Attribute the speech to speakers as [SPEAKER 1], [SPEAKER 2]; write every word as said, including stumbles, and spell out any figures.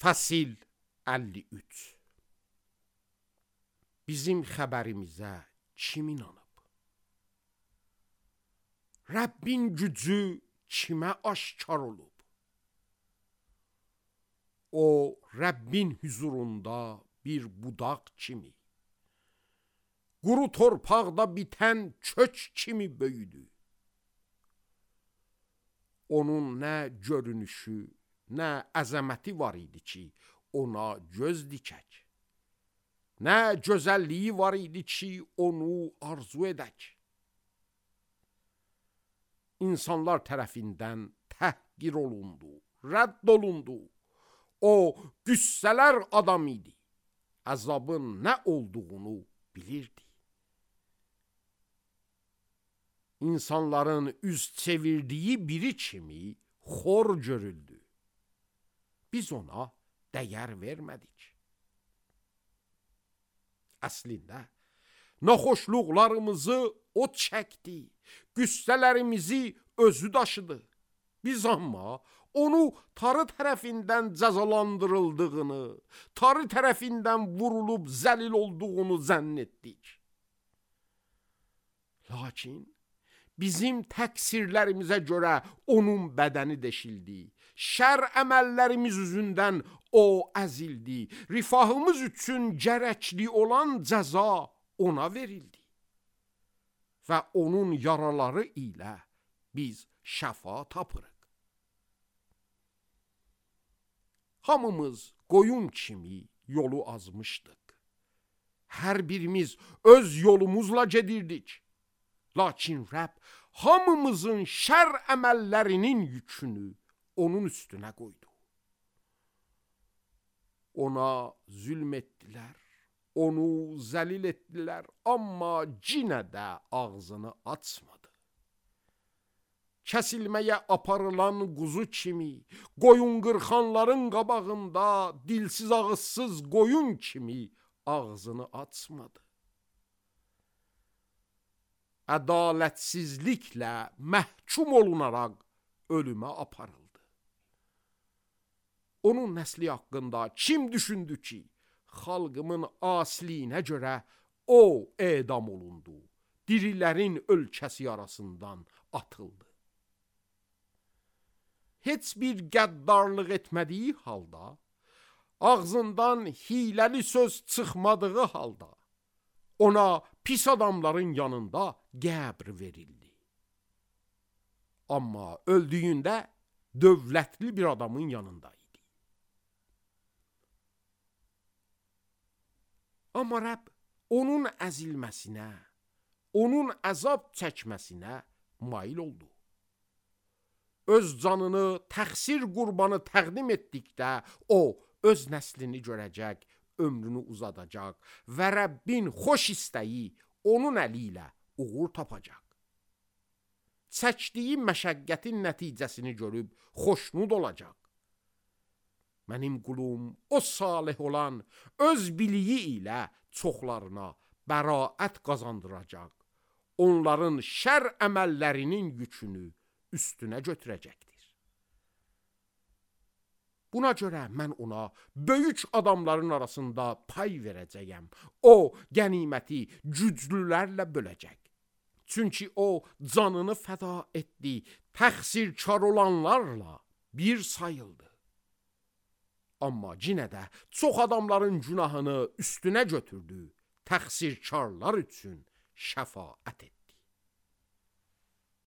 [SPEAKER 1] Fəsil əlli üç. Bizim xəbərimizə kim inanıb? Rəbbin gücü kimə aşkar olub? O, Rəbbin huzurunda bir budaq kimi, quru torpaqda bitən kök kimi böyüdü. Onun nə görünüşü, nə əzəməti var idi ki, ona göz dikək. Nə gözəlliyi var idi ki, onu arzu edək. İnsanlar tərəfindən təhqir olundu, rədd olundu. O, qüssələr adam idi. Əzabın nə olduğunu bilirdi. İnsanların üz çevirdiyi biri kimi xor görüldü. Biz ona dəyər vermədik. Əslində, naxoşluqlarımızı o çəkdi, qüssələrimizi özü daşıdı. Biz amma onu tarı tərəfindən cəzalandırıldığını, tarı tərəfindən vurulub zəlil olduğunu zənn etdik. Lakin bizim təqsirlərimizə görə onun bədəni deşildi. Şər əməllərimiz üzündən o əzildi. Rifahımız üçün gərəkli olan cəza ona verildi. Və onun yaraları ilə biz şəfa tapırıq. Hamımız qoyun kimi yolu azmışdıq. Hər birimiz öz yolumuzla gedirdik. Lakin Rəbb hamımızın şər əməllərinin yükünü onun üstünə qoydu. Ona zülm etdilər, onu zəlil etdilər, amma yenə də ağzını açmadı. Kəsilməyə aparılan quzu kimi, qoyun qırxanların qabağında dilsiz ağızsız qoyun kimi ağzını açmadı. Ədalətsizliklə məhkum olunaraq ölümə aparıldı. Onun nəsli haqqında kim düşündü ki, xalqımın asiliyinə görə o edam olundu, dirilərin ölkəsi arasından atıldı. Heç bir qəddarlıq etmədiyi halda, ağzından hiləli söz çıxmadığı halda, ona pis adamların yanında qəbr verildi. Amma öldüyündə dövlətli bir adamın yanındaydı. Amma Rəbb onun əzilməsinə, onun əzab çəkməsinə mail oldu. Öz canını təqsir qurbanı təqdim etdikdə o öz nəslini görəcək, ömrünü uzadacaq və Rəbbin xoş istəyi onun əli ilə uğur tapacaq. Çəkdiyi məşəqqətin nəticəsini görüb xoşnud olacaq. Mənim qulum o salih olan öz biliyi ilə çoxlarına bəraət qazandıracaq. Onların şər əməllərinin yükünü üstünə götürəcəkdir. Buna görə mən ona böyük adamların arasında pay verəcəyəm. O, qəniməti güclülərlə böləcək. Çünki o, canını fəda etdi, təqsirkar olanlarla bir sayıldı. Amma yenə də çox adamların günahını üstünə götürdü, təqsirkarlar üçün şəfaət etdi.